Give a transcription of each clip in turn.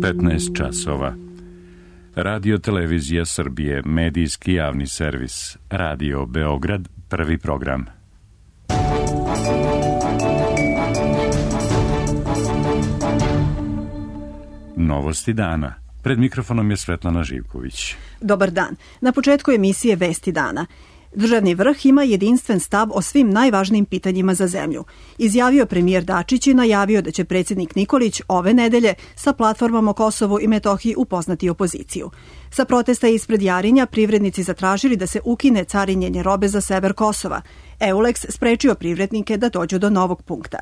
15 časova. Radio Televizija Srbije, medijski javni servis. Radio Beograd, prvi program. Novosti dana. Pred mikrofonom je Svetlana Živković. Dobar dan. Na početku emisije Vesti dana. Državni vrh ima jedinstven stav o svim najvažnijim pitanjima za zemlju. Izjavio premijer Dačić i najavio da će predsjednik Nikolić ove nedelje sa platformom o Kosovu i Metohiji upoznati opoziciju. Sa protesta ispred Jarinja privrednici zatražili da se ukine carinjenje robe za sever Kosova. EULEX sprečio privrednike da dođu do novog punkta.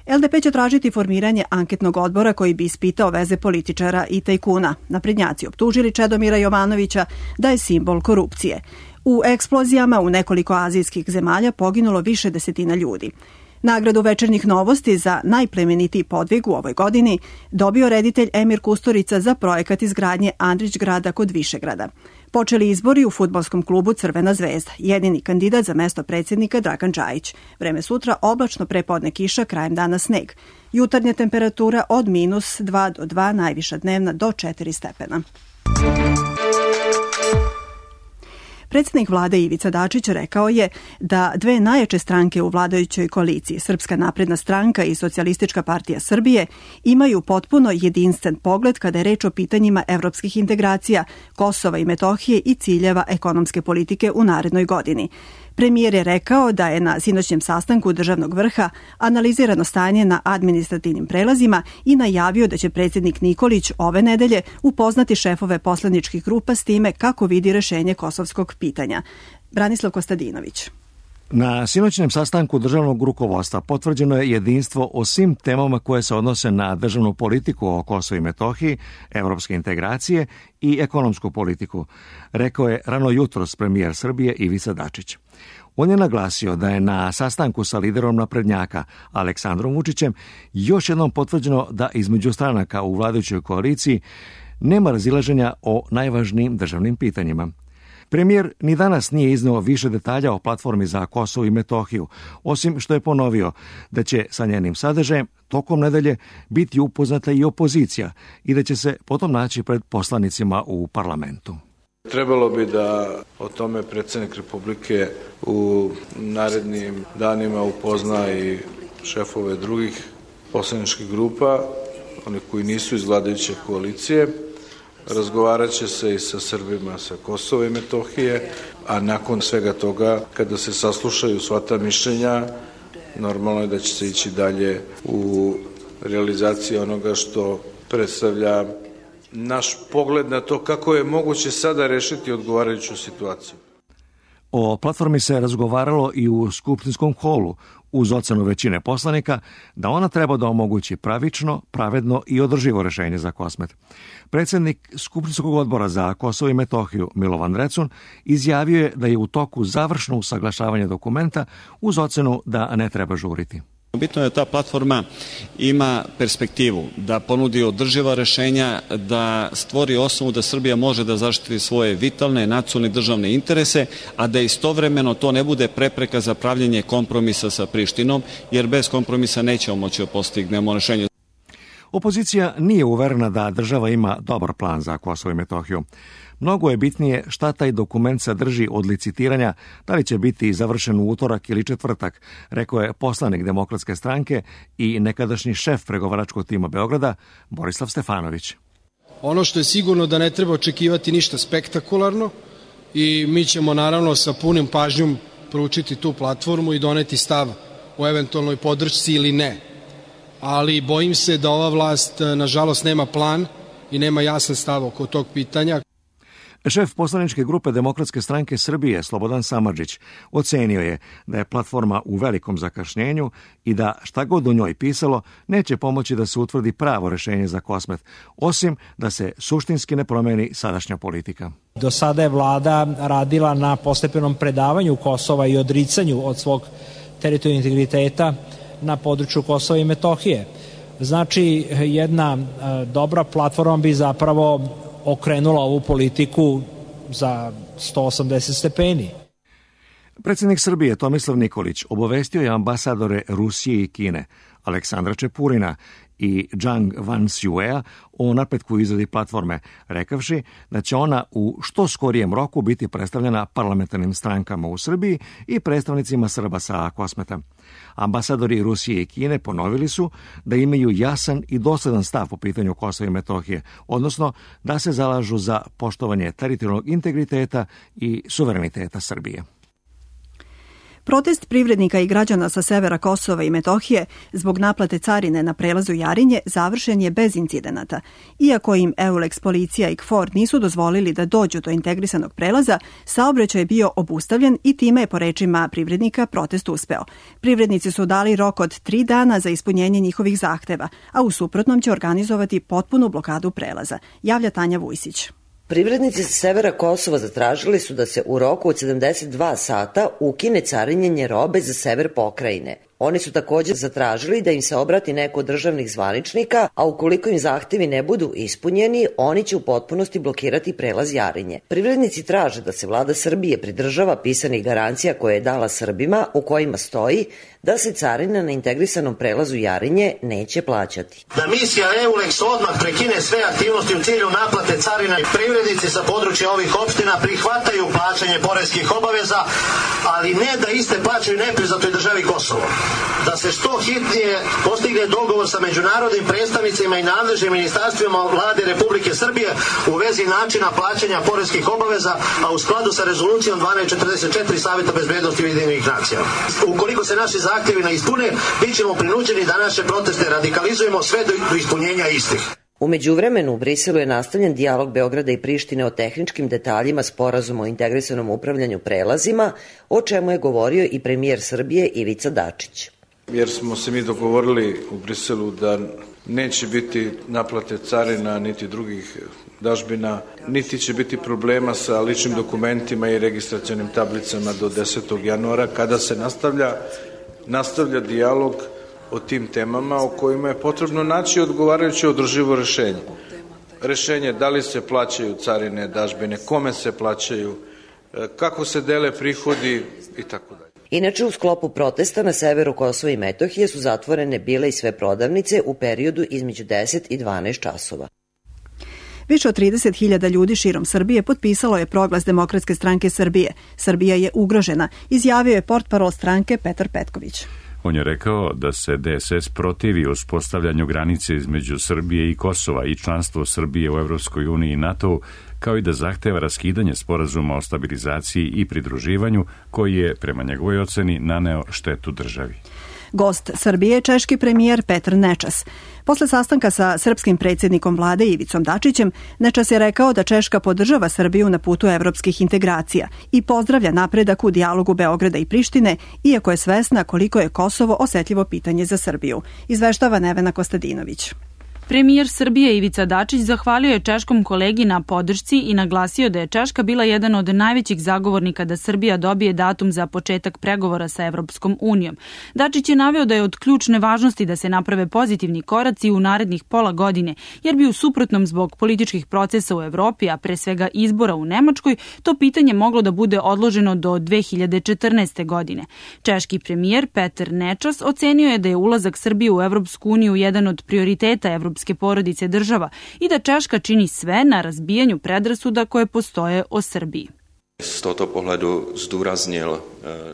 LDP će tražiti formiranje anketnog odbora koji bi ispitao veze političara i tajkuna. Naprednjaci optužili Čedomira Jovanovića da je simbol korupcije. U eksplozijama u nekoliko azijskih zemalja poginulo više desetina ljudi. Nagradu Večernjih novosti za najplemenitiji podvig u ovoj godini dobio reditelj Emir Kusturica za projekat izgradnje Andrić grada kod Višegrada. Počeli izbori u fudbalskom klubu Crvena zvezda. Jedini kandidat za mesto predsjednika Dragan Džajić. Vreme sutra oblačno, prepodne kiša, krajem dana sneg. Jutarnja temperatura od -2 do 2, najviša dnevna do 4 stepena. Predsjednik vlade Ivica Dačić rekao je da dve najjače stranke u vladajućoj koaliciji, Srpska napredna stranka i Socijalistička partija Srbije, imaju potpuno jedinstven pogled kada je reč o pitanjima evropskih integracija, Kosova i Metohije i ciljeva ekonomske politike u narednoj godini. Premijer je rekao da je na sinoćnjem sastanku državnog vrha analizirano stanje na administrativnim prelazima i najavio da će predsjednik Nikolić ove nedelje upoznati šefove poslaničkih grupa s time kako vidi rešenje kosovskog pitanja. Branislav Kostadinović. Na sinoćnjem sastanku državnog rukovodstva potvrđeno je jedinstvo o svim temama koje se odnose na državnu politiku o Kosovu i Metohiji, evropske integracije i ekonomsku politiku, rekao je rano jutros premijer Srbije Ivica Dačić. On je naglasio da je na sastanku sa liderom naprednjaka Aleksandrom Vučićem još jednom potvrđeno da između stranaka u vladajućoj koaliciji nema razilaženja o najvažnijim državnim pitanjima. Premijer ni danas nije izneo više detalja o platformi za Kosovo i Metohiju, osim što je ponovio da će sa njenim sadržajem tokom nedelje biti upoznata i opozicija i da će se potom naći pred poslanicima u parlamentu. Trebalo bi da o tome predsjednik Republike u narednim danima upozna i šefove drugih poslaničkih grupa, oni koji nisu iz vladajuće koalicije. Razgovarat će se i sa Srbima sa Kosova i Metohije, a nakon svega toga, kada se saslušaju sva ta mišljenja, normalno je da će se ići dalje u realizaciji onoga što predstavlja naš pogled na to kako je moguće sada rešiti odgovarajuću situaciju. O platformi se razgovaralo i u skupštinskom holu uz ocenu većine poslanika da ona treba da omogući pravično, pravedno i održivo rešenje za Kosmet. Predsjednik skupštinskog odbora za Kosovo i Metohiju Milovan Drecun izjavio je da je u toku završno usaglašavanje dokumenta uz ocenu da ne treba žuriti. Bitno je da ta platforma ima perspektivu, da ponudi održiva rešenja, da stvori osnovu da Srbija može da zaštiti svoje vitalne, nacionalne i državne interese, a da istovremeno to ne bude prepreka za pravljenje kompromisa sa Prištinom, jer bez kompromisa nećemo moći da postignemo rešenje. Opozicija nije uverena da država ima dobar plan za Kosovo i Metohiju. Mnogo je bitnije šta taj dokument sadrži od licitiranja, da li će biti završen u utorak ili četvrtak, rekao je poslanik Demokratske stranke i nekadašnji šef pregovaračkog tima Beograda, Borislav Stefanović. Ono što je sigurno da ne treba očekivati ništa spektakularno i mi ćemo naravno sa punim pažnjom proučiti tu platformu i doneti stav o eventualnoj podršci ili ne. Ali bojim se da ova vlast nažalost nema plan i nema jasan stav oko tog pitanja. Šef poslaničke grupe Demokratske stranke Srbije, Slobodan Samardžić, ocenio je da je platforma u velikom zakašnjenju i da šta god u njoj pisalo neće pomoći da se utvrdi pravo rešenje za Kosmet, osim da se suštinski ne promeni sadašnja politika. Do sada je vlada radila na postepenom predavanju Kosova i odricanju od svog teritorijalnog integriteta na području Kosova i Metohije. Znači, jedna dobra platforma bi zapravo okrenula ovu politiku za 180 stepeni. Predsjednik Srbije Tomislav Nikolić obavestio je ambasadore Rusije i Kine, Aleksandra Čepurina i Zhang Wanxiuea o napretku u izradi platforme, rekavši da će ona u što skorijem roku biti predstavljena parlamentarnim strankama u Srbiji i predstavnicima Srba sa Kosmeta. Ambasadori Rusije i Kine ponovili su da imaju jasan i dosledan stav po pitanju Kosova i Metohije, odnosno da se zalažu za poštovanje teritorijalnog integriteta i suvereniteta Srbije. Protest privrednika i građana sa severa Kosova i Metohije zbog naplate carine na prelazu Jarinje završen je bez incidenata. Iako im EULEX policija i KFOR nisu dozvolili da dođu do integrisanog prelaza, saobraćaj je bio obustavljen i time je, po rečima privrednika, protest uspeo. Privrednici su dali rok od 3 dana za ispunjenje njihovih zahteva, a u suprotnom će organizovati potpunu blokadu prelaza, javlja Tanja Vujsić. Privrednici sa severa Kosova zatražili su da se u roku od 72 sata ukine carinjenje robe za sever pokrajine. Oni su također zatražili da im se obrati neko od državnih zvaničnika, a ukoliko im zahtevi ne budu ispunjeni, oni će u potpunosti blokirati prelaz Jarinje. Privrednici traže da se vlada Srbije pridržava pisanih garancija koje je dala Srbima, u kojima stoji da se carina na integrisanom prelazu Jarinje neće plaćati. Da misija EULEX odmah prekine sve aktivnosti u cilju naplate carina i privrednici sa područja ovih opština prihvataju plaćanje poreskih obaveza, ali ne da iste plaćaju nepriznatoj državi Kosovo. Da se što hitnije postigne dogovor sa međunarodnim predstavnicima i nadležnim ministarstvima vlade Republike Srbije u vezi načina plaćanja poreskih obaveza, a u skladu sa rezolucijom 1244 Saveta bezbednosti Ujedinjenih nacija. Ukoliko se naši zahtjevi ne ispune, bit ćemo prinuđeni da naše proteste radikalizujemo sve do ispunjenja istih. U međuvremenu u Briselu je nastavljen dijalog Beograda i Prištine o tehničkim detaljima sporazuma o integrisanom upravljanju prelazima, o čemu je govorio i premijer Srbije Ivica Dačić. Jer smo se mi dogovorili u Briselu da neće biti naplate carina niti drugih dažbina, niti će biti problema sa ličnim dokumentima i registracionim tablicama do 10. januara kada se nastavlja dijalog o tim temama o kojima je potrebno naći odgovarajuće održivo rešenje. Rešenje da li se plaćaju carine, dažbine, kome se plaćaju, kako se dele prihodi i tako dalje. Inače, u sklopu protesta na severu Kosova i Metohije su zatvorene bile i sve prodavnice u periodu između 10 i 12 časova. Više od 30.000 ljudi širom Srbije potpisalo je proglas Demokratske stranke Srbije. Srbija je ugrožena, izjavio je portparol stranke Petar Petković. On je rekao da se DSS protivi uspostavljanju granice između Srbije i Kosova i članstvo Srbije u Evropskoj uniji i NATO-u, kao i da zahteva raskidanje sporazuma o stabilizaciji i pridruživanju koji je, prema njegovoj oceni, naneo štetu državi. Gost Srbije je češki premijer Petr Nečas. Posle sastanka sa srpskim predsjednikom vlade Ivicom Dačićem, Nečas je rekao da Češka podržava Srbiju na putu evropskih integracija i pozdravlja napredak u dijalogu Beograda i Prištine, iako je svesna koliko je Kosovo osetljivo pitanje za Srbiju, izveštava Nevena Kostadinović. Premijer Srbije Ivica Dačić zahvalio je češkom kolegi na podršci i naglasio da je Češka bila jedan od najvećih zagovornika da Srbija dobije datum za početak pregovora sa Evropskom unijom. Dačić je naveo da je od ključne važnosti da se naprave pozitivni koraci u narednih pola godine, jer bi u suprotnom zbog političkih procesa u Evropi, a pre svega izbora u Nemačkoj, to pitanje moglo da bude odloženo do 2014. godine. Češki premijer Petar Nečas ocenio je da je ulazak Srbije u Evropsku uniju jedan od prioriteta evropske porodice država i da Češka čini sve na razbijanju predrasuda koje postoje o Srbiji.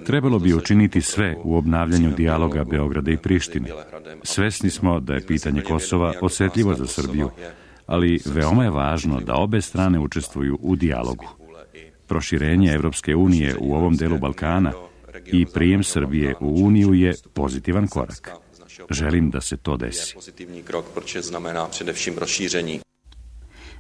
Trebalo bi učiniti sve u obnavljanju dijaloga Beograda i Prištine. Svesni smo da je pitanje Kosova osetljivo za Srbiju, ali veoma je važno da obe strane učestvuju u dijalogu. Proširenje Evropske unije u ovom delu Balkana i prijem Srbije u Uniju je pozitivan korak. Želim da se to desi.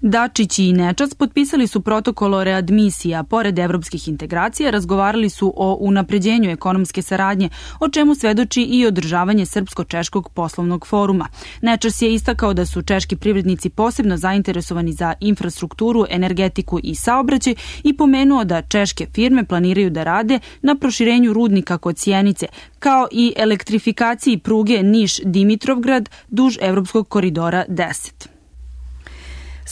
Dačić i Nečas potpisali su protokol o readmisiji, a pored evropskih integracija razgovarali su o unapređenju ekonomske saradnje, o čemu svedoči i održavanje Srpsko-češkog poslovnog foruma. Nečas je istakao da su češki privrednici posebno zainteresovani za infrastrukturu, energetiku i saobraćaj i pomenuo da češke firme planiraju da rade na proširenju rudnika kod Sjenice, kao i elektrifikaciji pruge Niš-Dimitrovgrad duž Evropskog koridora 10.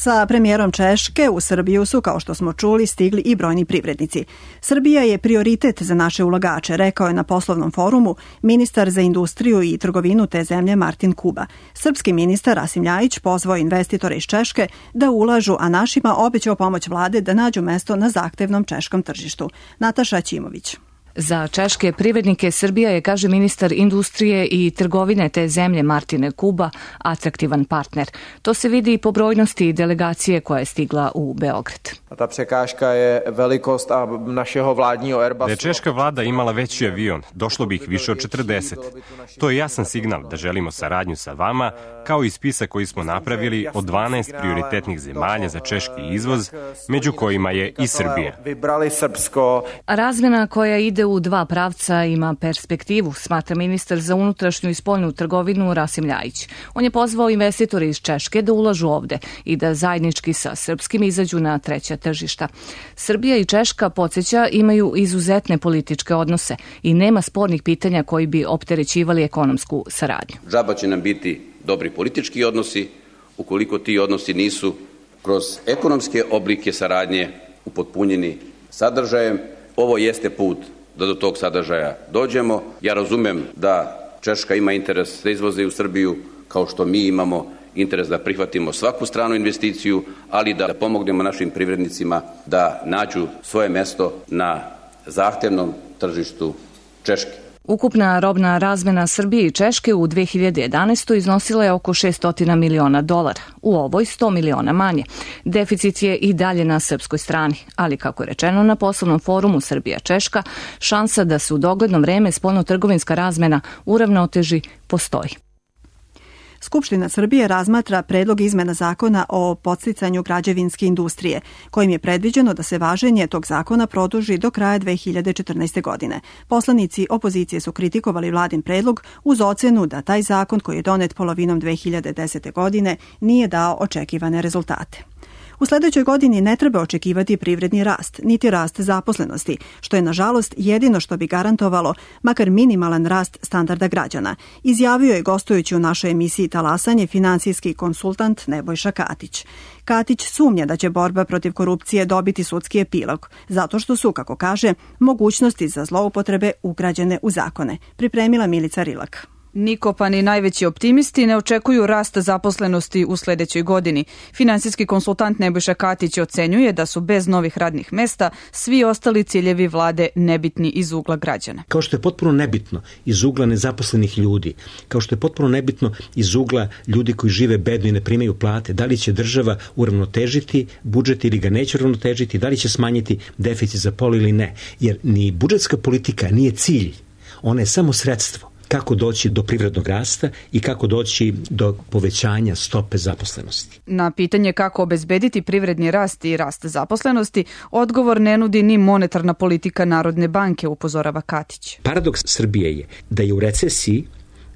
Sa premijerom Češke u Srbiju su, kao što smo čuli, stigli i brojni privrednici. Srbija je prioritet za naše ulagače, rekao je na poslovnom forumu ministar za industriju i trgovinu te zemlje Martin Kuba. Srpski ministar Rasim Ljajić pozvao investitore iz Češke da ulažu, a našima obećao pomoć vlade da nađu mesto na zahtevnom češkom tržištu. Nataša Ćimović. Za češke privrednike Srbija je, kaže ministar industrije i trgovine te zemlje Martin Kuba, atraktivan partner. To se vidi i po brojnosti delegacije koja je stigla u Beograd. Ta překážka je velikost našeho vládního Airbusu. Da je češka vlada imala veći avion, došlo bi ih više od 40. To je jasan signal da želimo saradnju sa vama, kao i spisak koji smo napravili od 12 prioritetnih zemalja za češki izvoz, među kojima je i Srbija. Razmjena koja ide u dva pravca ima perspektivu, smatra ministar za unutrašnju i spoljnu trgovinu Rasim Ljajić. On je pozvao investitore iz Češke da ulažu ovde i da zajednički sa srpskim izađu na treća tržišta. Srbija i Češka, podsjeća, imaju izuzetne političke odnose i nema spornih pitanja koji bi opterećivali ekonomsku saradnju. Džaba će nam biti dobri politički odnosi ukoliko ti odnosi nisu kroz ekonomske oblike saradnje upotpunjeni sadržajem. Ovo jeste put da do tog sadržaja dođemo. Ja razumem da Češka ima interes da izvoze u Srbiju, kao što mi imamo interes da prihvatimo svaku stranu investiciju, ali da pomognemo našim privrednicima da nađu svoje mesto na zahtevnom tržištu Češke. Ukupna robna razmena Srbije i Češke u 2011. iznosila je oko $600 miliona. U ovoj 100 miliona manje. Deficit je i dalje na srpskoj strani, ali kako je rečeno na poslovnom forumu Srbija-Češka, šansa da se u dogledno vreme spoljno-trgovinska razmena uravnoteži postoji. Skupština Srbije razmatra predlog izmena zakona o podsticanju građevinske industrije, kojim je predviđeno da se važenje tog zakona produži do kraja 2014. godine. Poslanici opozicije su kritikovali vladin predlog uz ocenu da taj zakon, koji je donet polovinom 2010. godine, nije dao očekivane rezultate. U sledećoj godini ne treba očekivati privredni rast, niti rast zaposlenosti, što je nažalost jedino što bi garantovalo makar minimalan rast standarda građana, izjavio je gostujući u našoj emisiji Talasanje finansijski konsultant Nebojša Katić. Katić sumnja da će borba protiv korupcije dobiti sudski epilog, zato što su, kako kaže, mogućnosti za zloupotrebe ugrađene u zakone. Pripremila Milica Rilak. Niko pa ni najveći optimisti ne očekuju rast zaposlenosti u sledećoj godini. Finansijski konsultant Nebojša Katić ocenjuje da su bez novih radnih mesta svi ostali ciljevi vlade nebitni iz ugla građana. Kao što je potpuno nebitno iz ugla nezaposlenih ljudi, kao što je potpuno nebitno iz ugla ljudi koji žive bedno i ne primaju plate, da li će država uravnotežiti budžet ili ga neće uravnotežiti, da li će smanjiti deficit za pola ili ne. Jer ni budžetska politika nije cilj, ona je samo sredstvo kako doći do privrednog rasta i kako doći do povećanja stope zaposlenosti. Na pitanje kako obezbediti privredni rast i rast zaposlenosti, odgovor ne nudi ni monetarna politika Narodne banke, upozorava Katić. Paradoks Srbije je da je u recesiji,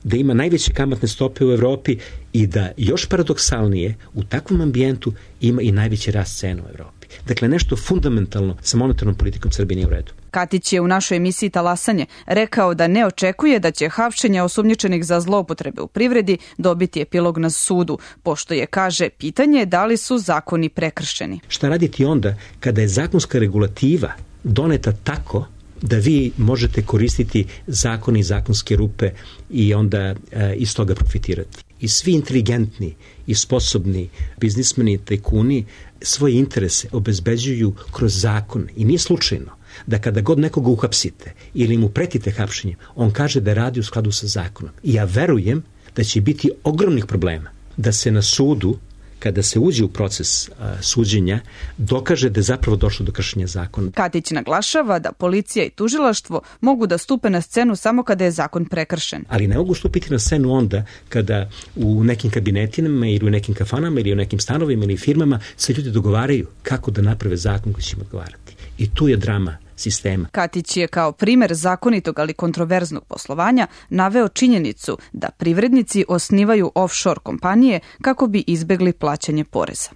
da ima najveće kamatne stope u Evropi i da još paradoksalnije u takvom ambijentu ima i najveći rast cena u Evropi. Dakle, nešto fundamentalno sa monetarnom politikom Srbije nije u redu. Katić je u našoj emisiji Talasanje rekao da ne očekuje da će hapšenja osumnjičenih za zloupotrebe u privredi dobiti epilog na sudu, pošto je, kaže, pitanje da li su zakoni prekršeni. Šta raditi onda kada je zakonska regulativa doneta tako da vi možete koristiti zakone i zakonske rupe i onda iz toga profitirati? I svi inteligentni i sposobni biznismeni, tajkuni svoje interese obezbeđuju kroz zakon. I nije slučajno da kada god nekoga uhapsite ili mu pretite hapšenjem, on kaže da radi u skladu sa zakonom. I ja verujem da će biti ogromnih problema da se na sudu, kada se uđe u proces suđenja, dokaže da je zapravo došlo do kršenja zakona. Katić naglašava da policija i tužilaštvo mogu da stupe na scenu samo kada je zakon prekršen. Ali ne mogu stupiti na scenu onda kada u nekim kabinetima ili u nekim kafanama ili u nekim stanovima ili firmama se ljudi dogovaraju kako da naprave zakon koji će im odgovarati. I tu je drama sistema. Katić je kao primer zakonitog ali kontroverznog poslovanja naveo činjenicu da privrednici osnivaju offshore kompanije kako bi izbegli plaćanje poreza.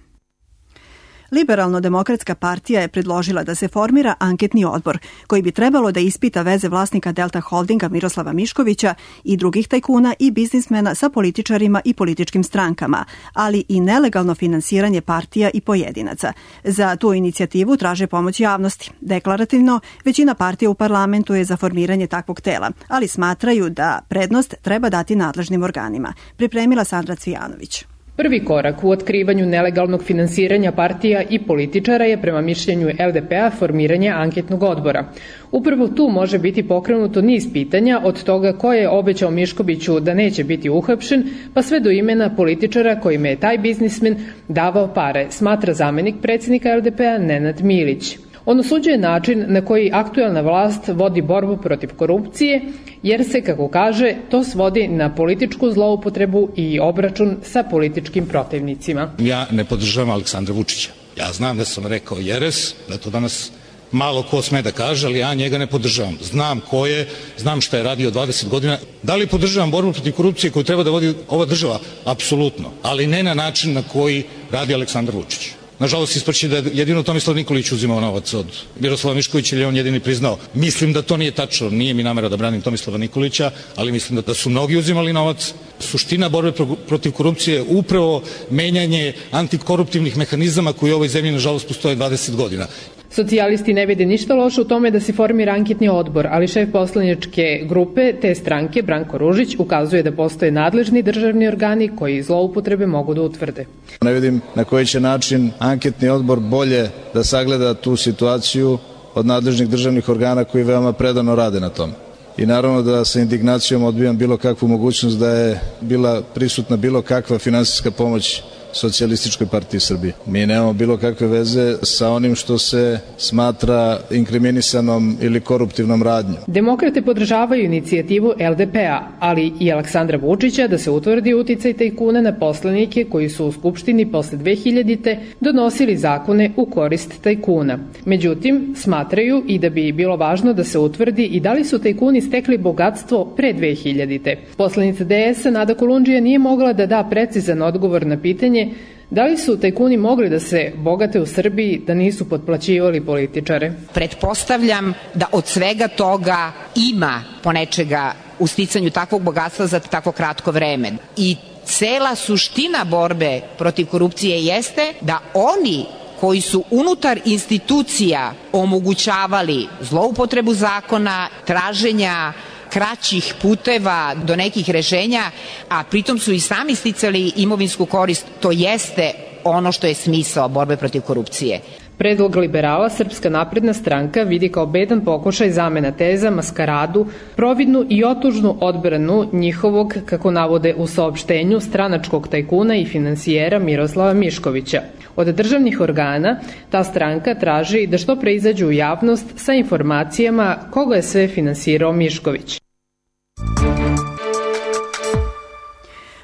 Liberalno-demokratska partija je predložila da se formira anketni odbor koji bi trebalo da ispita veze vlasnika Delta Holdinga Miroslava Miškovića i drugih tajkuna i biznismena sa političarima i političkim strankama, ali i nelegalno finansiranje partija i pojedinaca. Za tu inicijativu traže pomoć javnosti. Deklarativno, većina partija u parlamentu je za formiranje takvog tela, ali smatraju da prednost treba dati nadležnim organima. Pripremila Sandra Cvijanović. Prvi korak u otkrivanju nelegalnog finansiranja partija i političara je prema mišljenju LDP-a formiranje anketnog odbora. Upravo tu može biti pokrenuto niz pitanja od toga ko je obećao Miškoviću da neće biti uhapšen, pa sve do imena političara kojima je taj biznismen davao pare, smatra zamenik predsjednika LDP-a Nenad Milić. On osuđuje način na koji aktuelna vlast vodi borbu protiv korupcije, jer se, kako kaže, to svodi na političku zloupotrebu i obračun sa političkim protivnicima. Ja ne podržavam Aleksandra Vučića. Ja znam da sam rekao jeres, da to danas malo ko sme da kaže, ali ja njega ne podržavam. Znam ko je, znam šta je radio 20 godina. Da li podržavam borbu protiv korupcije koju treba da vodi ova država? Apsolutno, ali ne na način na koji radi Aleksandar Vučić. Nažalost, ispašće da je jedino Tomislav Nikolić uzimao novac od Miroslava Miškovića, ili on jedini priznao. Mislim da to nije tačno, nije mi namera da branim Tomislava Nikolića, ali mislim da su mnogi uzimali novac. Suština borbe protiv korupcije je upravo menjanje antikoruptivnih mehanizama koji u ovoj zemlji, nažalost, postoje 20 godina. Socijalisti ne vide ništa loše u tome da se formira anketni odbor, ali šef poslaničke grupe te stranke, Branko Ružić, ukazuje da postoje nadležni državni organi koji zloupotrebe mogu da utvrde. Ne vidim na koji će način anketni odbor bolje da sagleda tu situaciju od nadležnih državnih organa koji veoma predano rade na tom. I naravno da sa indignacijom odbijam bilo kakvu mogućnost da je bila prisutna bilo kakva finansijska pomoć Socijalističkoj partiji Srbije. Mi nemamo bilo kakve veze sa onim što se smatra inkriminisanom ili koruptivnom radnjom. Demokrate podržavaju inicijativu LDP-a, ali i Aleksandra Vučića da se utvrdi uticaj tajkuna na poslanike koji su u Skupštini posle 2000. donosili zakone u korist tajkuna. Međutim, smatraju i da bi bilo važno da se utvrdi i da li su tajkuni stekli bogatstvo pre 2000. Poslanica DS-a Nada Kolundžija nije mogla da da precizan odgovor na pitanje da li su tajkuni mogli da se bogate u Srbiji da nisu potplaćivali političare? Pretpostavljam da od svega toga ima ponečega u sticanju takvog bogatstva za tako kratko vreme. I cela suština borbe protiv korupcije jeste da oni koji su unutar institucija omogućavali zloupotrebu zakona, traženja kraćih puteva do nekih rešenja, a pritom su i sami sticali imovinsku korist, to jeste ono što je smisao borbe protiv korupcije. Predlog liberala Srpska napredna stranka vidi kao bedan pokušaj zamena teza, maskaradu, providnu i otužnu odbranu njihovog, kako navode u saopštenju, stranačkog tajkuna i finansijera Miroslava Miškovića. Od državnih organa ta stranka traži da što pre izađu u javnost sa informacijama koga je sve finansirao Mišković.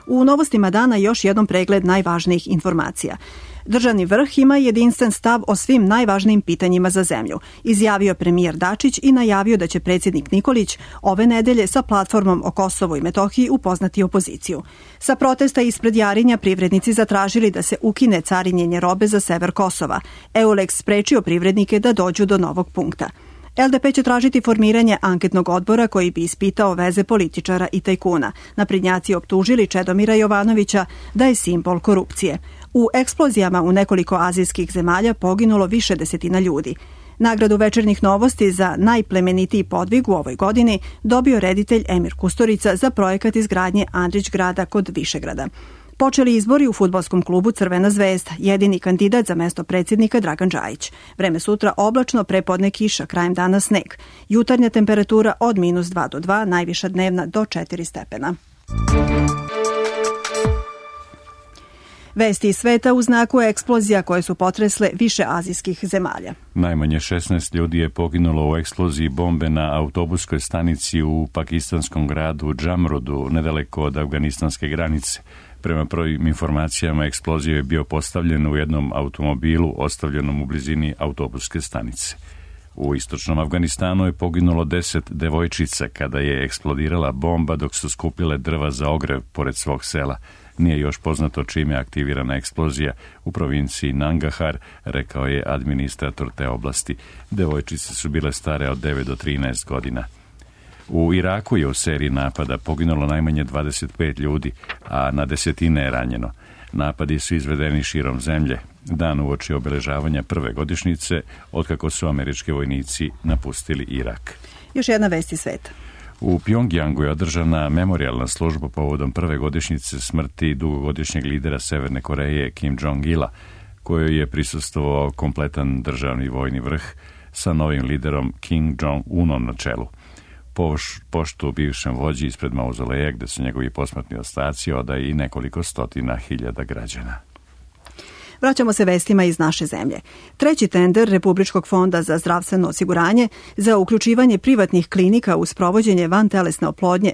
U novostima dana još jednom pregled najvažnijih informacija. Državni vrh ima jedinstven stav o svim najvažnijim pitanjima za zemlju, izjavio premijer Dačić i najavio da će predsjednik Nikolić ove nedelje sa platformom o Kosovu i Metohiji upoznati opoziciju. Sa protesta ispred Jarinja privrednici zatražili da se ukine carinjenje robe za sever Kosova. EULEX sprečio privrednike da dođu do novog punkta. LDP će tražiti formiranje anketnog odbora koji bi ispitao veze političara i tajkuna. Naprednjaci optužili Čedomira Jovanovića da je simbol korupcije. U eksplozijama u nekoliko azijskih zemalja poginulo više desetina ljudi. Nagradu Večernjih novosti za najplemenitiji podvig u ovoj godini dobio reditelj Emir Kusturica za projekat izgradnje Andrić grada kod Višegrada. Počeli izbori u fudbalskom klubu Crvena zvezda, jedini kandidat za mesto predsjednika Dragan Đajić. Vreme sutra oblačno, prepodne kiša, krajem dana sneg. Jutarnja temperatura od -2 do 2, najviša dnevna do 4 stepena. Vesti iz sveta u znaku eksplozija koje su potresle više azijskih zemalja. Najmanje 16 ljudi je poginulo u eksploziji bombe na autobuskoj stanici u pakistanskom gradu Džamrodu, nedaleko od afganistanske granice. Prema prvim informacijama, eksplozija je bio postavljen u jednom automobilu ostavljenom u blizini autobuske stanice. U istočnom Afganistanu je poginulo 10 devojčica kada je eksplodirala bomba dok su skupljale drva za ogrev pored svog sela. Nije još poznato čime je aktivirana eksplozija u provinciji Nangahar, rekao je administrator te oblasti. Devojčice su bile stare od 9 do 13 godina. U Iraku je u seriji napada poginulo najmanje 25 ljudi, a na desetine je ranjeno. Napadi su izvedeni širom zemlje, dan uoči obeležavanja prve godišnjice otkako su američki vojnici napustili Irak. Još jedna vest iz sveta. U Pjongjangu je održana memorijalna služba povodom prve godišnjice smrti dugogodišnjeg lidera Severne Koreje Kim Jong-ila, kojoj je prisustvovao kompletan državni vojni vrh sa novim liderom Kim Jong-unom na čelu. Poštu bivšem vođi ispred mauzoleja gde su njegovi posmrtni ostaci odaje i nekoliko stotina hiljada građana. Vraćamo se vestima iz naše zemlje. Treći tender Republičkog fonda za zdravstveno osiguranje za uključivanje privatnih klinika u sprovođenje vantelesne oplodnje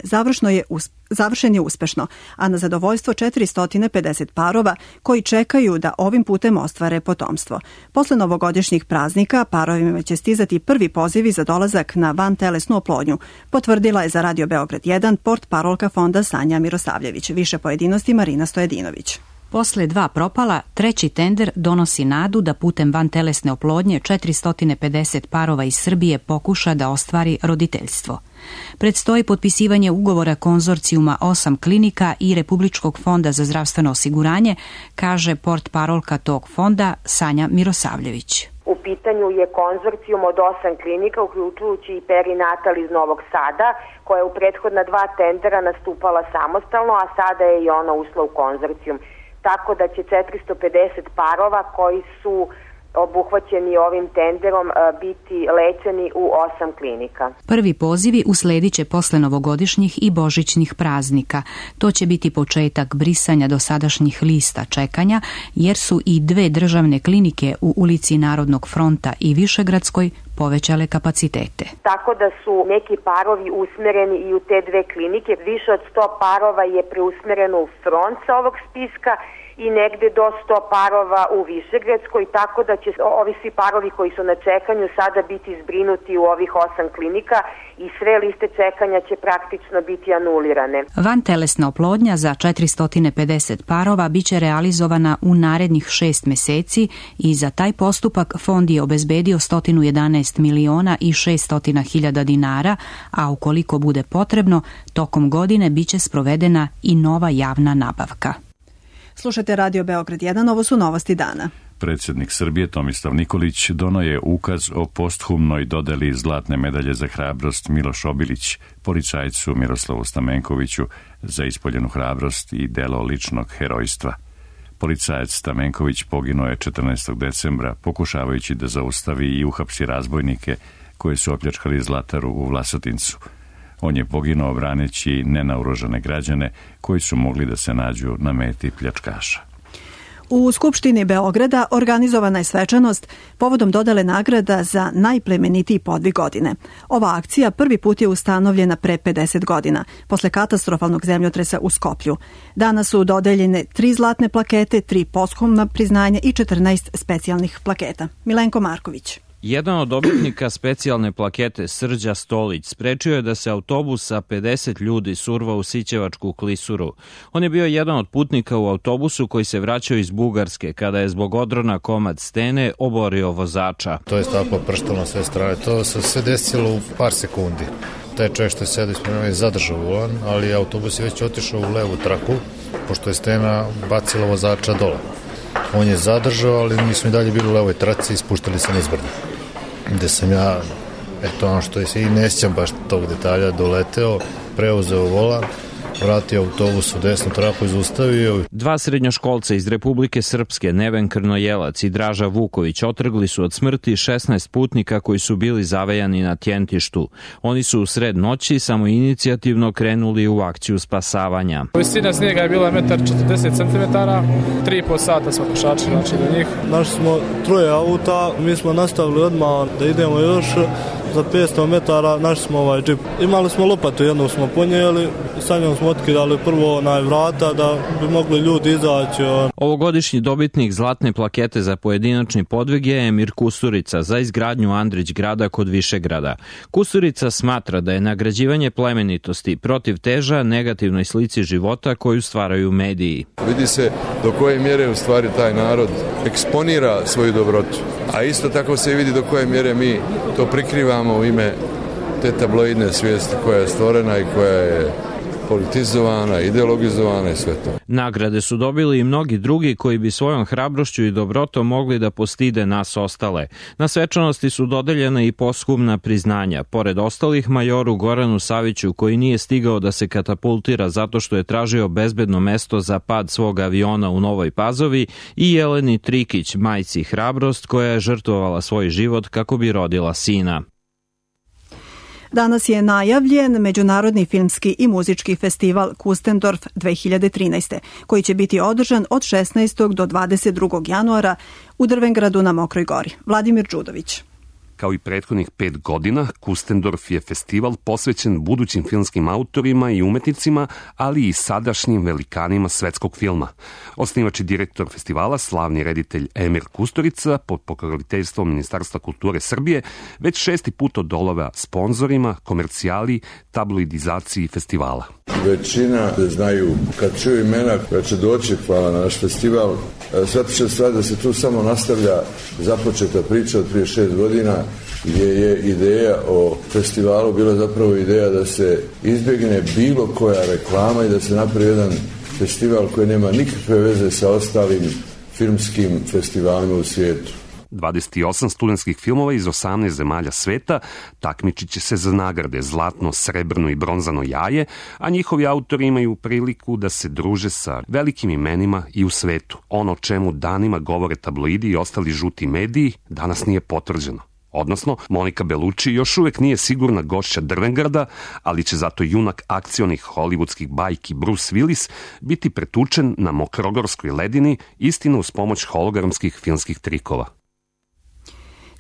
završen je uspešno, a na zadovoljstvo 450 parova koji čekaju da ovim putem ostvare potomstvo. Posle novogodišnjih praznika parovima će stizati prvi pozivi za dolazak na vantelesnu oplodnju, potvrdila je za Radio Beograd 1 portparolka fonda Sanja Mirosavljević. Više pojedinosti Marina Stojedinović. Posle 2 propala, treći tender donosi nadu da putem vantelesne oplodnje 450 parova iz Srbije pokuša da ostvari roditeljstvo. Predstoji potpisivanje ugovora konzorcijuma 8 klinika i Republičkog fonda za zdravstveno osiguranje, kaže portparolka tog fonda Sanja Mirosavljević. U pitanju je konzorcijum od 8 klinika, uključujući i perinatal iz Novog Sada, koja je u prethodna 2 tendera nastupala samostalno, a sada je i ona ušla u konzorcijum. Tako da će 450 parova koji su obuhvaćeni ovim tenderom biti lečeni u 8 klinika. Prvi pozivi usledit će posle novogodišnjih i božićnih praznika. To će biti početak brisanja dosadašnjih lista čekanja, jer su i 2 državne klinike u ulici Narodnog fronta i Višegradskoj povećale kapacitete. Tako da su neki parovi usmereni i u te 2 klinike. Više od 100 parova je preusmereno u front sa ovog spiska i negde do 100 parova u Višegradskoj, tako da će ovi svi parovi koji su na čekanju sada biti zbrinuti u ovih 8 klinika i sve liste čekanja će praktično biti anulirane. Vantelesna oplodnja za 450 parova biće realizovana u narednih 6 meseci i za taj postupak fond je obezbedio 111 miliona i 600 hiljada dinara, a ukoliko bude potrebno, tokom godine biće sprovedena i nova javna nabavka. Slušajte Radio Beograd 1, ovo su novosti dana. Predsjednik Srbije Tomislav Nikolić doneo je ukaz o posthumnoj dodeli zlatne medalje za hrabrost Miloš Obilić, policajcu Miroslavu Stamenkoviću za ispoljenu hrabrost i delo ličnog herojstva. Policajac Stamenković poginuo je 14. decembra pokušavajući da zaustavi i uhapsi razbojnike koji su opljačkali zlataru u Vlasotincu. On je poginuo braneći nenaoružane građane koji su mogli da se nađu na meti pljačkaša. U Skupštini Beograda organizovana je svečanost povodom dodele nagrada za najplemenitiji podvig godine. Ova akcija prvi put je ustanovljena pre 50 godina, posle katastrofalnog zemljotresa u Skoplju. Danas su dodeljene 3 zlatne plakete, 3 posthumna priznanja i 14 specijalnih plaketa. Milenko Marković. Jedan od dobitnika specijalne plakete, Srđa Stolić, sprečio je da se autobus sa 50 ljudi surva u Sićevačku klisuru. On je bio jedan od putnika u autobusu koji se vraćao iz Bugarske, kada je zbog odrona komad stene oborio vozača. To je staklo prštalo na sve strane, to se sve desilo u par sekundi. Taj čovjek što je sedao ispred mene je zadržao volan, ali autobus je već otišao u levu traku, pošto je stena bacila vozača dole. On je zadržao, ali mi smo i dalje bili u levoj traci i spuštali se nizbrdo. Gde sam ja, ono što se i ne sjećam baš tog detalja, doleteo, preuzeo volan, vratio autobus u desnu traku i zaustavio. 2 srednjoškolca iz Republike Srpske, Neven Krnojelac i Draža Vuković, otrgli su od smrti 16 putnika koji su bili zavejani na Tjentištu. Oni su u sred noći samoinicijativno krenuli u akciju spasavanja. Visina snijega je bila 1,40 cm, 3,5 sata smo pešači do njih. Našli smo 3 auta, mi smo nastavili odmah da idemo još za 500 metara našli smo ovaj džip. Imali smo lopatu, jednu smo ponijeli, sa njom smo otkidali prvo vrata da bi mogli ljudi izaći. Ovogodišnji dobitnik zlatne plakete za pojedinačni podvig je Emir Kusturica za izgradnju Andrić grada kod Višegrada. Kusturica smatra da je nagrađivanje plemenitosti protiv teža negativnoj slici života koju stvaraju mediji. Vidi se do koje mjere u stvari taj narod eksponira svoju dobrotu, a isto tako se vidi do koje mjere mi to prikrivamo u ime te tabloidne svijesti koja je stvorena i koja je politizovana, ideologizovana i sve to. Nagrade su dobili i mnogi drugi koji bi svojom hrabrošću i dobrotom mogli da postide nas ostale. Na svečanosti su dodeljena i posthumna priznanja. Pored ostalih, majoru Goranu Saviću, koji nije stigao da se katapultira zato što je tražio bezbedno mesto za pad svog aviona u Novoj Pazovi, i Jeleni Trikić, majci Hrabrost, koja je žrtvovala svoj život kako bi rodila sina. Danas je najavljen Međunarodni filmski i muzički festival Kustendorf 2013. koji će biti održan od 16. do 22. januara u Drvengradu na Mokroj Gori. Vladimir Đudović. Kao i prethodnih 5 godina, Kustendorf je festival posvećen budućim filmskim autorima i umetnicima, ali i sadašnjim velikanima svetskog filma. Osnivač i direktor festivala, slavni reditelj Emir Kusturica, pod pokroviteljstvom Ministarstva kulture Srbije, već 6. put odolava sponzorima, komercijali, tabloidizaciji festivala. Većina znaju, kad čuju imena koja će doći, hvala na naš festival, shvatit će stvar da se tu samo nastavlja započeta priča od prije 6 godina, gdje je ideja o festivalu bila zapravo ideja da se izbjegne bilo koja reklama i da se napravi jedan festival koji nema nikakve veze sa ostalim filmskim festivalima u svijetu. 28 studentskih filmova iz 18 zemalja sveta takmičit će se za nagrade zlatno, srebrno i bronzano jaje, a njihovi autori imaju priliku da se druže sa velikim imenima i u svetu. Ono o čemu danima govore tabloidi i ostali žuti mediji danas nije potvrđeno. Odnosno, Monika Bellucci još uvek nije sigurna gošća Drvengrada, ali će zato junak akcionih hollywoodskih bajki Bruce Willis biti pretučen na mokrogorskoj ledini, istina uz pomoć hologramskih filmskih trikova.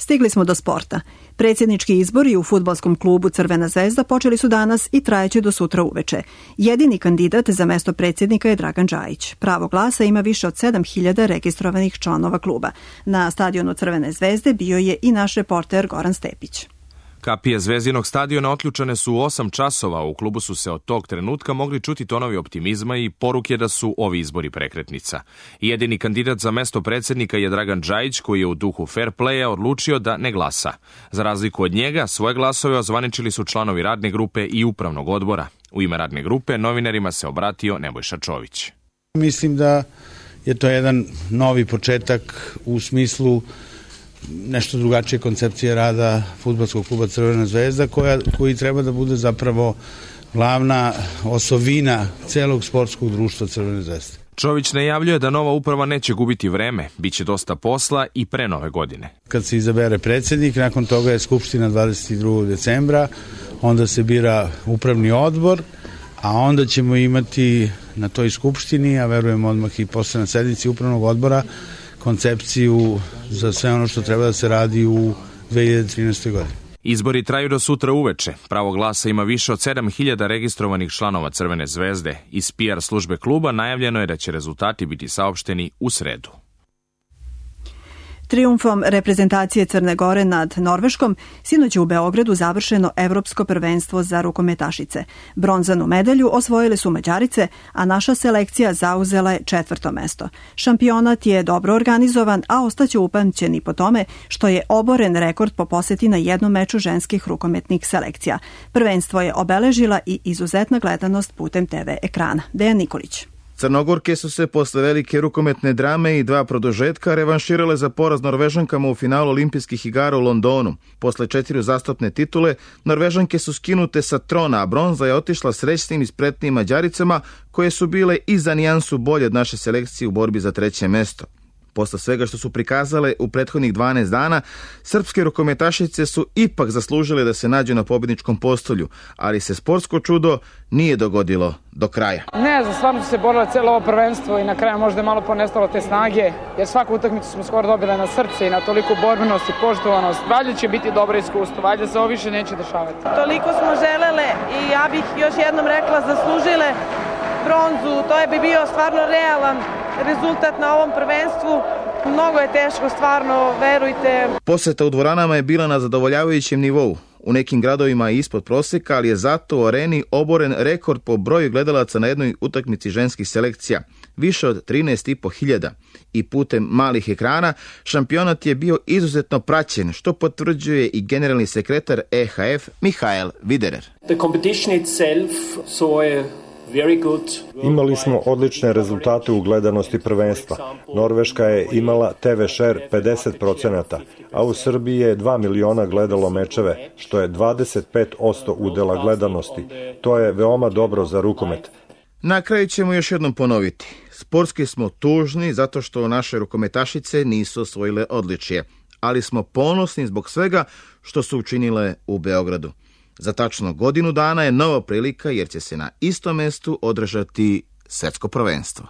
Stigli smo do sporta. Predsjednički izbori u fudbalskom klubu Crvena zvezda počeli su danas i trajeće do sutra uveče. Jedini kandidat za mesto predsjednika je Dragan Džajić. Pravo glasa ima više od 7.000 registrovanih članova kluba. Na stadionu Crvene zvezde bio je i naš reporter Goran Stepić. Kapije Zvezdinog stadiona otključane su u 8 časova. U klubu su se od tog trenutka mogli čuti tonovi optimizma i poruke da su ovi izbori prekretnica. Jedini kandidat za mesto predsjednika je Dragan Džajić, koji je u duhu fair playa odlučio da ne glasa. Za razliku od njega, svoje glasove ozvaničili su članovi radne grupe i upravnog odbora. U ime radne grupe novinarima se obratio Nebojša Čović. Mislim da je to jedan novi početak u smislu nešto drugačije koncepcije rada fudbalskog kluba Crvena zvezda, koji treba da bude zapravo glavna osovina celog sportskog društva Crvene zvezde. Čović najavljuje da nova uprava neće gubiti vreme, bit će dosta posla i pre nove godine. Kad se izabere predsjednik, nakon toga je skupština 22. decembra, onda se bira upravni odbor, a onda ćemo imati na toj skupštini, a verujem odmah i posle na sednici upravnog odbora, koncepciju za sve ono što treba da se radi u 2013. godini. Izbori traju do sutra uveče. Pravo glasa ima više od 7.000 registrovanih članova Crvene zvezde. Iz PR službe kluba najavljeno je da će rezultati biti saopšteni u sredu. Trijumfom reprezentacije Crne Gore nad Norveškom sinoć je u Beogradu završeno Evropsko prvenstvo za rukometašice. Bronzanu medalju osvojile su Mađarice, a naša selekcija zauzela je 4. mesto. Šampionat je dobro organizovan, a ostaće upamćen i po tome što je oboren rekord po poseti na jednom meču ženskih rukometnih selekcija. Prvenstvo je obeležila i izuzetna gledanost putem TV ekrana. Dejan Nikolić. Crnogorke su se posle velike rukometne drame i 2 produžetka revanširale za poraz Norvežankama u finalu olimpijskih igara u Londonu. Posle 4 uzastopne titule, Norvežanke su skinute sa trona, a bronza je otišla srećnim i spretnim Mađaricama, koje su bile i za nijansu bolje od naše selekcije u borbi za 3. mesto. Posle svega što su prikazale u prethodnih 12 dana, srpske rukometašice su ipak zaslužile da se nađu na pobedničkom postolju, ali se sportsko čudo nije dogodilo do kraja. Ne znam, stvarno su se borile cijelo ovo prvenstvo i na kraju možda je malo ponestalo te snage, jer svaku utakmicu smo skoro dobile na srce i na toliku borbenost i poštovanost. Valjda će biti dobro iskustvo, valjda se ovo više neće dešavati. Toliko smo želele i ja bih još jednom rekla zaslužile bronzu, to bi bio stvarno realan rezultat na ovom prvenstvu. Mnogo je teško, stvarno, verujte. Poseta u dvoranama je bila na zadovoljavajućem nivou. U nekim gradovima je ispod proseka, ali je zato u areni oboren rekord po broju gledalaca na jednoj utakmici ženskih selekcija. Više od 13.500. I putem malih ekrana šampionat je bio izuzetno praćen, što potvrđuje i generalni sekretar EHF Mihael Viderer. The competition itself saw a Imali smo odlične rezultate u gledanosti prvenstva. Norveška je imala TV share 50%, a u Srbiji je 2 miliona gledalo mečeve, što je 25% udela gledanosti. To je veoma dobro za rukomet. Na kraju ćemo još jednom ponoviti. Sportski smo tužni zato što naše rukometašice nisu osvojile odličje, ali smo ponosni zbog svega što su učinile u Beogradu. Za tačno godinu dana je nova prilika jer će se na istom mestu održati svetsko prvenstvo.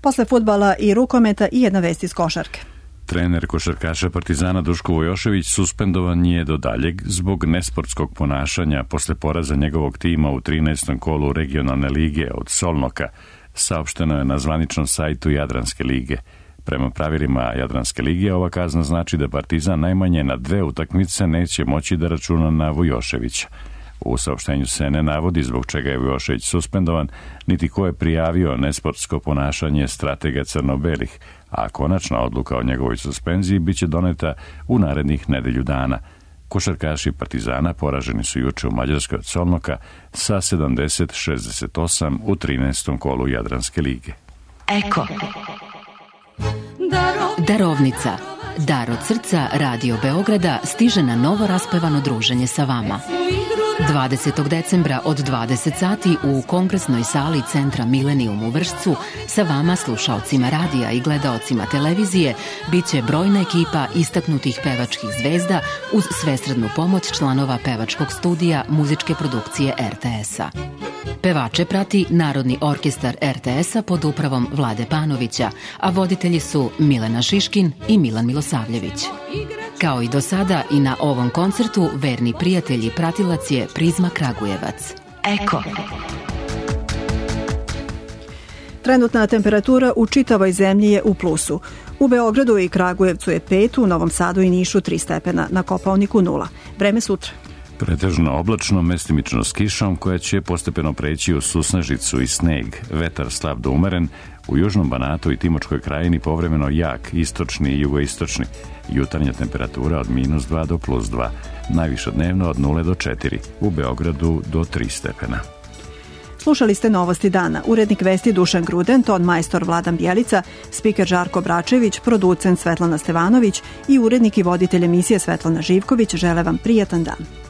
Posle fudbala i rukometa i jedna vest iz košarke. Trener košarkaša Partizana Duško Vojošević suspendovan je do daljeg zbog nesportskog ponašanja posle poraza njegovog tima u 13. kolu regionalne lige od Solnoka, saopšteno je na zvaničnom sajtu Jadranske lige. Prema pravilima Jadranske lige, ova kazna znači da Partizan najmanje na 2 utakmice neće moći da računa na Vojoševića. U saopštenju se ne navodi zbog čega je Vojošević suspendovan, niti ko je prijavio nesportsko ponašanje stratega crno-belih, a konačna odluka o njegovoj suspenziji biće doneta u narednih nedelju dana. Košarkaši Partizana poraženi su juče u Mađarskoj od Solnoka sa 70-68 u 13. kolu Jadranske lige. Eko. Darovnica. Dar od srca Radio Beograda stiže na novo raspevano druženje sa vama. 20. decembra od 20 sati u kongresnoj sali Centra Milenijum u Vršcu sa vama, slušaocima radija i gledaocima televizije, bit će brojna ekipa istaknutih pevačkih zvezda uz svesrednu pomoć članova pevačkog studija muzičke produkcije RTS-a. Pevače prati Narodni orkestar RTS-a pod upravom Vlade Panovića, a voditelji su Milena Šiškin i Milan Milosavljević. Kao i do sada i na ovom koncertu verni prijatelji pratilac je Prizma Kragujevac. Eko. Trenutna temperatura u čitavoj zemlji je u plusu. U Beogradu i Kragujevcu je 5, u Novom Sadu i Nišu 3 stepena, na Kopaoniku 0. Vreme sutra. Pretežno oblačno, mestimično s kišom koja će postepeno preći u susnežicu i sneg. Vetar slab do umeren, u južnom Banatu i Timočkoj krajini povremeno jak, istočni i jugoistočni. Jutarnja temperatura od -2 do +2. Najviša dnevno od 0 do 4. U Beogradu do 3 stepena. Slušali ste Novosti dana. Urednik vesti Dušan Gruden, ton majstor Vladan Bjelica, spiker Žarko Bračević, producent Svetlana Stevanović i urednik i voditelj emisije Svetlana Živković žele vam prijatan dan.